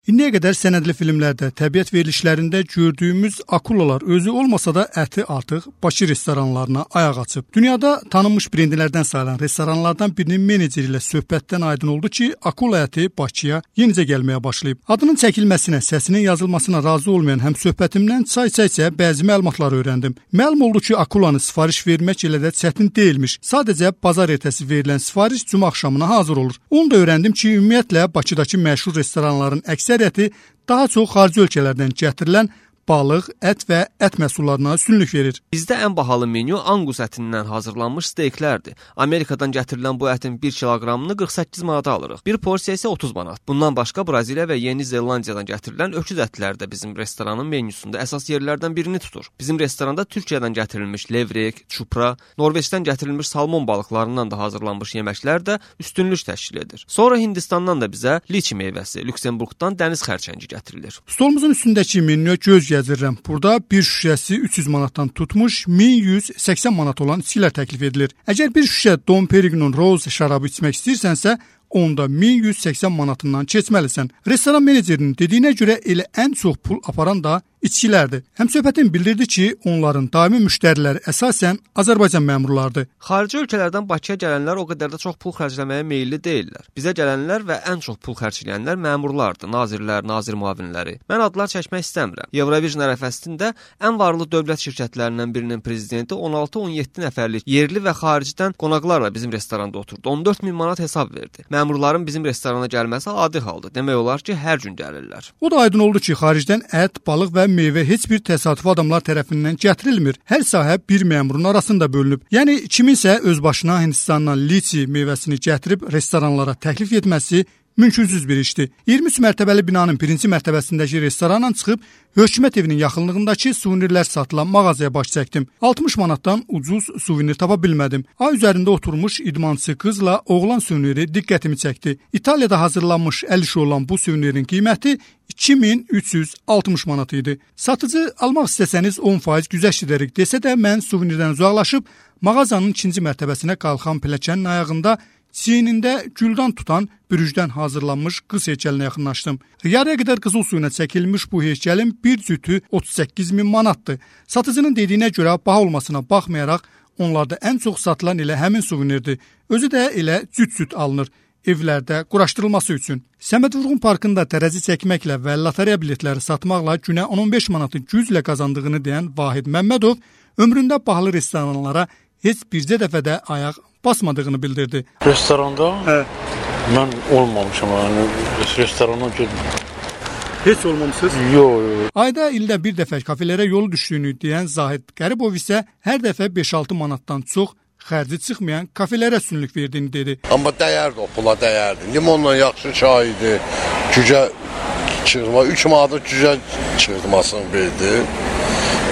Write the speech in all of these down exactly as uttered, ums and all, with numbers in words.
İndiyə qədər sənədli filmlərdə, təbiət verilişlərində gördüyümüz akulalar özü olmasa da əti artıq Bakı restoranlarına ayaq açıb. Dünyada tanınmış brendlərdən sayılan restoranlardan birinin meneceri ilə söhbətdən aydın oldu ki, akula əti Bakıya yenicə gəlməyə başlayıb. Adının çəkilməsinə, səsinin yazılmasına razı olmayan həmsöhbətimdən çay-çay-çay bəzi məlumatlar öyrəndim. Məlum oldu ki, akulanı sifariş vermək elə də çətin deyilmiş. Sadəcə bazar ertəsi verilən sifariş cümə axşamına hazır olur. Onu da öyrəndim ki, ümumiyyətlə Bakıdakı məşhur restoranların əksəriyyəti daha çox xarici ölkələrdən gətirilən balıq, ət və ət məhsullarına üstünlük verir. Bizdə ən bahalı menyu Angus ətindən hazırlanmış steyklərdir. Amerikadan gətirilən bu ətin bir kiloqramını qırx səkkiz manata alırıq. Bir porsiya isə otuz manat. Bundan başqa Braziliya və Yeni Zelandiyadan gətirilən öküz ətləri də bizim restoranın menyusunda əsas yerlərdən birini tutur. Bizim restoranda Türkiyədən gətirilmiş levrek, çupra, Norveçdən gətirilmiş salmon balıqlarından da hazırlanmış yeməklər də üstünlük təşkil edir. Sonra Hindistandan da bizə liçi meyvəsi, Lüksemburqdan dəniz xərçəngi gətirilir. Stolumuzun üstündəki menüyə göz gəzdirirəm. Burada bir şüşəsi üç yüz manatdan tutmuş min yüz səksən manat olan içkilər təklif edilir. Əgər bir şüşə Dom Perignon Rose şərabı içmək istəyirsənsə, onda min yüz səksən manatından keçməlisən. Restoran menecerinin dediyinə görə elə ən çox pul aparan da içkilərdir. Həmsöhbətin bildirdi ki, onların daimi müştəriləri əsasən Azərbaycan məmurlarıdır. Xarici ölkələrdən Bakıya gələnlər o qədər də çox pul xərcləməyə meylli deyillər. Bizə gələnlər və ən çox pul xərcləyənlər məmurlardır, nazirlər, nazir müavinləri. Mən adlar çəkmək istəmirəm. Eurovision ərəfəsində ən varlı dövlət şirkətlərindən birinin prezidenti on altı on yeddi nəfərlik yerli və xaricdən qonaqlarla bizim restoranda oturdu. on dörd min manat hesab verdi. Məmurların bizim restorana gəlməsi adi haldır. Demək olar ki, hər gün gəlirlər. O da aydın oldu ki, xaricdən ət, balıq və meyvə heç bir təsadüfi adamlar tərəfindən gətirilmir. Hər sahə bir məmurun arasında bölünüb. Yəni kiminsə öz başına Hindistandan liçi meyvəsini gətirib restoranlara təklif etməsi mümkünsüz bir işdir. iyirmi üç mərtəbəli binanın birinci mərtəbəsindəki restorandan çıxıb hökumət evinin yaxınlığındakı suvenirlər satılan mağazaya baş çəkdim. altmış manatdan ucuz suvenir tapa bilmədim. Ay üzərində oturmuş idmançı qızla oğlan suveniri diqqətimi çəkdi. İtaliyada hazırlanmış əl işi olan bu suvenirin qiyməti iki min üç yüz altmış manat idi. Satıcı almaq istəsəniz on faiz güzəşt edərik desə də mən suvenirdən uzaqlaşıb mağazanın ikinci mərtəbəsinə qalxan pilləkənin ayağında çiynində güldan tutan bürücdən hazırlanmış qız heykəlinə yaxınlaşdım. Yarıya qədər qızıl suyuna çəkilmiş bu heykəlin bir cütü otuz səkkiz min manatdır. Satıcının dediyinə görə baha olmasına baxmayaraq onlarda ən çox satılan elə həmin suvenirdir. Özü də elə cüt-cüt alınır evlərdə quraşdırılması üçün. Səməd Vurğun Parkında tərəzi çəkməklə və lotereya biletləri satmaqla günə on on beş manatı güclə qazandığını deyən Vahid Məmmədov ömründə bahalı restoranlara heç bircə dəfə də ayaq basmadığını bildirdi. Restoranda? Hə. Mən olmamışam, yəni restorana getmirəm. Heç olmamısınız? Yox, yox. Ayda ildə bir dəfə kafelərə yolu düşdüyünü deyən Zahid Qəribov isə hər dəfə beş altı manatdan çox xərci çıxmayan kafelərə üstünlük verdiğini dedi. Amma dəyərdi, o pula dəyərdi. Limonla yaxşı çay idi, cücə çırma, üç manata cücə çırmasını verdi.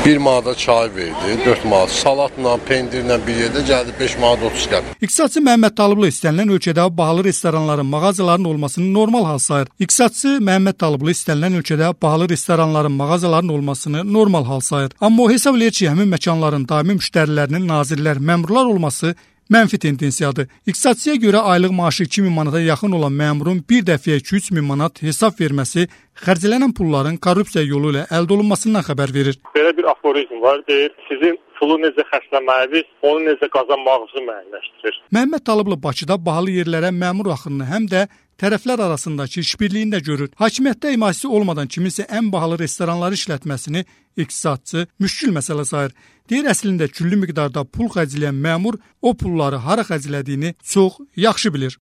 bir manata çay verdi, dörd manat salatla, pendirlə bir yerdə gəldi beş manat otuz qəpik. İqtisadçı Məhəmməd Talıblı istənilən ölkədə bahalı restoranların, mağazaların olmasını normal hal sayır. İqtisadçı Məhəmməd Talıblı istənilən ölkədə bahalı restoranların, mağazaların olmasını normal hal sayır. Amma o hesab eləyir ki, həmin məkanların daimi müştərilərinin nazirlər, məmurlar olması mənfi tendensiyadır. İqtisadçıya görə aylıq maaşı iki min manata yaxın olan məmurun bir dəfəyə iki üç min manat hesab verməsi xərclənən pulların korrupsiya yolu ilə əldə olunmasından xəbər verir. Belə bir aforizm var, deyir, sizin pulu necə xərcləməyiniz, onu necə qazanmağınızı müəyyənləşdirir. Məhəmməd Talıblı Bakıda bahalı yerlərə məmur axınını həm də tərəflər arasındakı işbirliyini də görür. Hakimiyyətdə himayəsi olmadan kiminsə ən bahalı restoranları işlətməsini iqtisadçı müşkül məsələ sayır. Deyir, əslində küllü miqdarda pul xərcləyən məmur o pulları hara xərclədiyini çox yaxşı bilir.